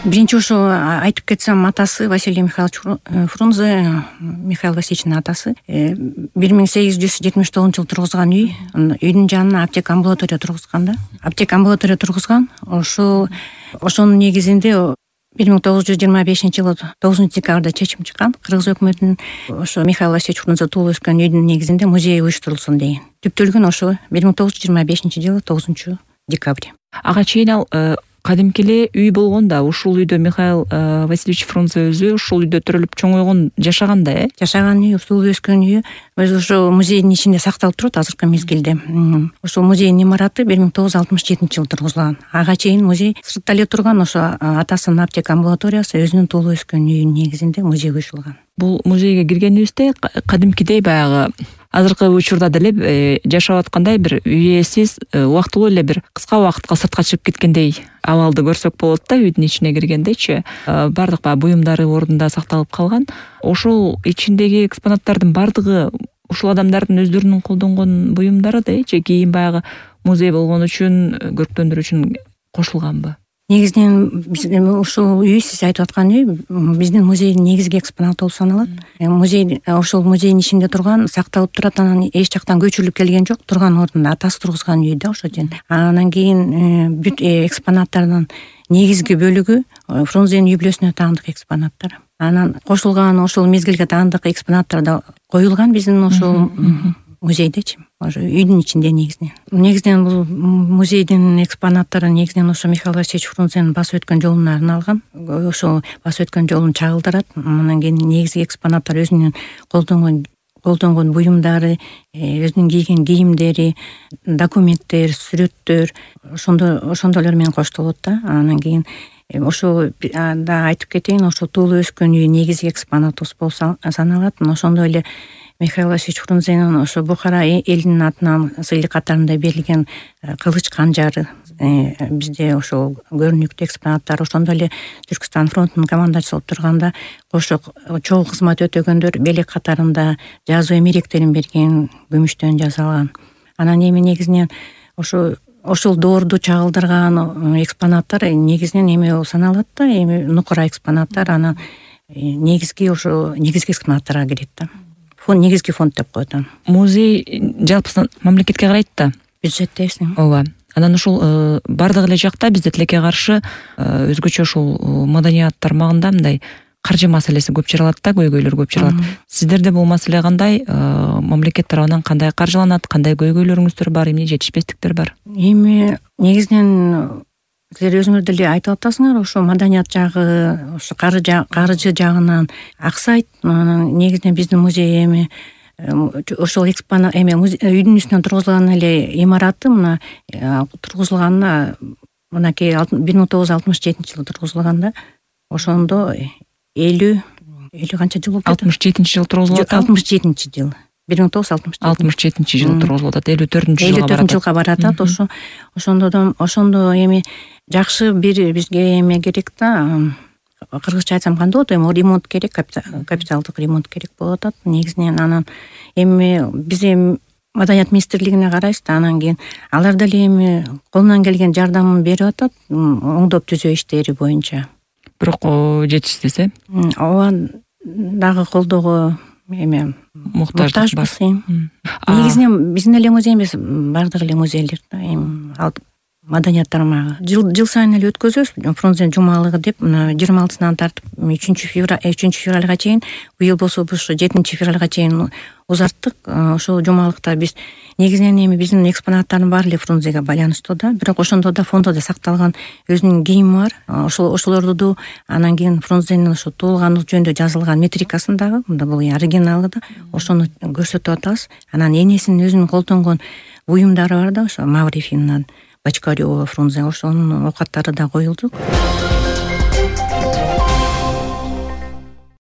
Биринчи ошо айтып кетсем, атасы Василий Михайлович Фрунзе, Михаил Васильевичтин атасы 1879 жылы тургузган үйдүн жанына аптека амбулатория тургузган да. Аптека амбулатория тургузган. Ошонун негизинде 1925 жылы 9 декабрда чечим чыккан. Кыргыз өкмөтүнүн ошо Михаил Васильевич Фрунзе туулуп өскөн үйдүн негизинде музей уюштурулсун деген. Түптөлгөн ошо 1925 жылы 9 декабрь. Ага чейин ал кадимки эле үй болгон да. Ушул үйдө Михаил Васильевич Фрунзе өзү ушул үйдө төрөлүп чоңойгон, жашаган да, Жашаган үй, туулуп өскөн үйү өзү ошо музейдин ичинде сакталып турат азыркы мезгилде. Ошол музейдин имараты 1967 жылы тургузулган. Ага чейин музей сыртта эле турган, ошо атасынын аптека амбулаториясы өзүнүн туулуп өскөн үйүнүн негизинде музей уюштурулган. Бул музейге киргенибизде кадимкидей баягы азыркы учурда деле жашап аткандай бир үй ээсиз, убактылуу эле бир кыска убакытка сыртка чыгып кеткендей абалды көрсөк болот да. Үйдүн ичине киргендечи бардык баягы буюмдары ордунда сакталып калган. Ошол ичиндеги экспонаттардын бардыгы ушул адамдардын өздөрүнүн колдонгон буюмдары да, же кийин баягы музей болгон үчүн, көрктөндүрүү үчүн кошулганбы? Негизинен ушул үй, сиз айтып аткан үй биздин музейдин негизги экспонаты болуп саналат. Музей ошол музейдин ичинде турган, сакталып турат, анан эч жактан көчүрүлүп келген жок. Турган ордунда атасы тургузган үй да ошо жерде. Анан кийин бүт экспонаттардын негизги бөлүгү Фрунзенин үй бүлөсүнө таандык экспонаттар. Анан кошулган ошол мезгилге таандык экспонаттар да коюлган биздин ошол музейдечи. Ошо үйдүн ичинде негизинен бул музейдин экспонаттары негизинен ошо Михаил Васильевич Фрунзенин басып өткөн жолуна арналган. Ошол басып өткөн жолун чагылдырат. Анан кийин негизги экспонаттар өзүнүн колдонгон буюмдары, өзүнүн кийген кийимдери, документтер, сүрөттөр, ошондойлор менен коштолот да. Анан кийин ошо да айтып кетейин, ошо туулуп өскөн үй негизги экспонатыбыз болуп саналат. Ошондой эле Михаил Васильевич Фрунзенин ошо Бухара элинин атынан сыйлык катарында берилген кылыч канжары бизде ошол көрүнүктүү экспонаттар. Ошондой эле Түркстан фронтунун командачысы болуп турганда кошо чогуу кызмат өтөгөндөр белек катарында жазуу эмеректерин берген, күмүштөн жасалган. Анан эми негизинен ошол доорду чагылдырган экспонаттар негизинен эме болуп саналат да, эми нукура экспонаттар. Анан негизги экспонаттарга кирет да. Негизги фонд деп коет. Музей жалпысынан мамлекетке карайт да. Бюджеттебиз. Ооба. Анан ушул бардык эле жакта бизде тилекке каршы өзгөчө ушул маданият тармагында мындай каржы маселеси көп чыралат да, көйгөйлөр көп чыралат. Сиздерде бул маселе кандай? Мамлекет тарабынан кандай каржыланат? Кандай көйгөйлөрүңүздөр бар? Эмне жетишпестиктер бар? Эми негизинен силер өзүңөр деле айтып атасыңар, ошо маданият жагы, ошо каржы жагынан аксайт. Анан негизинен биздин музей эми ошол үйдүн үстүнөн тургузулган эле имараты мына тургузулганына мынакей 1967 жылы тургузулган да. Ошондо 50 канча жыл болуп кетти? 67 жылы тургузулат. 67 жыл. 1967 жылы тургузулат. 54 жылга баратат. Ошондо эми жакшы бир бизге эме керек да. Кыргызча айтсам кандай болот? Эми ремонт керек, капиталдык ремонт керек болуп атат. Негизинен анан эми биз Маданият министрлигине карайбыз да, анан кийин алар деле эми колунан келген жардамын берип атат, оңдоп түзөө иштери боюнча. Бирок жетишсиз, Ооба, дагы колдоого эме муктажбыз. Негизинен биздин эле музей эмес, бардык эле музейлер да, эми маданият тармагы жыл сайын эле өткөзөбүз. Фрунзе жумалыгы деп, мына 26-сынан тартып 3 февралга чейин, быйыл болсо ушу 7 февралга чейин узарттык. Ошол жумалыкта биз негизинен эми биздин экспонаттардын баары эле Фрунзеге байланыштуу да, бирок ошондо да фондодо сакталган өзүнүн кийими бар. Ошолорду анан кийин Фрунзенин ошо туулгандыгы жөнүндө жазылган метрикасындагы, мында бул оригиналы да, ошону көрсөтүп атабыз. Анан энесинин өзүнүн колдонгон буюмдары бар да, ошо Маврифиннан Бочкарёва, Фрунзе, ошонун оокаттары да коюлду.